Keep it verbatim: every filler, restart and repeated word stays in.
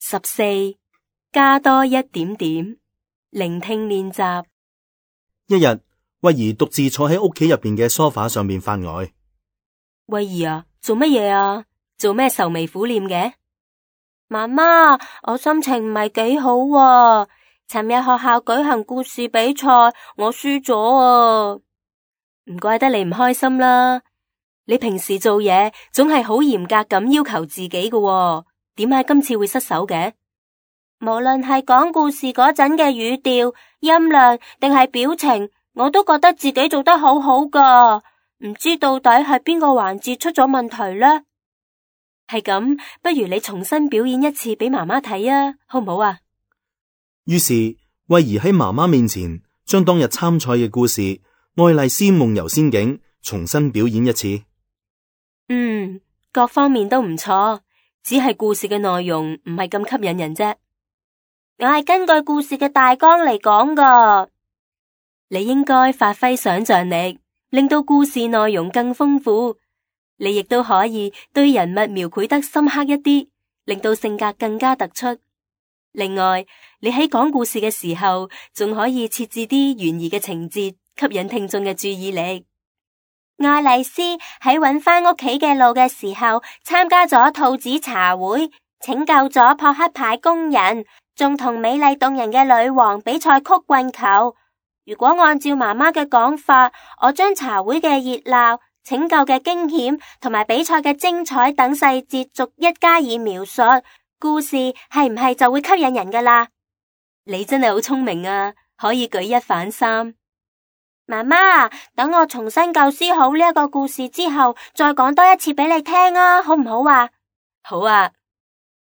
十四，加多一點點，聆聽練習。一日，慧兒獨自坐喺屋企入邊嘅梳化上面發呆。慧兒啊，做乜嘢啊？做咩愁眉苦臉嘅？媽媽，我心情唔係幾好啊。尋日學校舉行故事比賽，我輸咗啊。唔怪得你唔開心啦。你平時做嘢總係好嚴格咁要求自己嘅啊，點解今次會失手嘅？無論係講故事嗰陣嘅語調、音量定係表情，我都覺得自己做得好好噶。唔知到底係邊個環節出咗問題呢？係咁，不如你重新表演一次俾媽媽睇啊，好唔好啊？於是慧兒喺媽媽面前將當日參賽嘅故事《愛麗絲夢遊仙境》重新表演一次。嗯，各方面都唔錯，只係故事嘅內容唔係咁吸引人啫。我係根據故事嘅大綱嚟講噶。你應該發揮想象力，令到故事內容更豐富。你亦都可以對人物描繪得深刻一啲，令到性格更加突出。另外，你喺講故事嘅時候，仲可以設置啲懸疑嘅情節，吸引聽眾嘅注意力。愛麗絲喺搵返屋企嘅路嘅時候，參加咗兔子茶會，拯救咗撲克牌工人，仲同美麗動人嘅女王比賽曲棍球。如果按照媽媽嘅講法，我將茶會嘅熱鬧、拯救嘅驚險同埋比賽嘅精彩等細節逐一加以描述，故事係唔係就會吸引人噶啦？你真係好聰明啊，可以舉一反三。媽媽，等我重新構思好呢一個故事之後，再講多一次俾你聽啊，好唔好啊？好啊，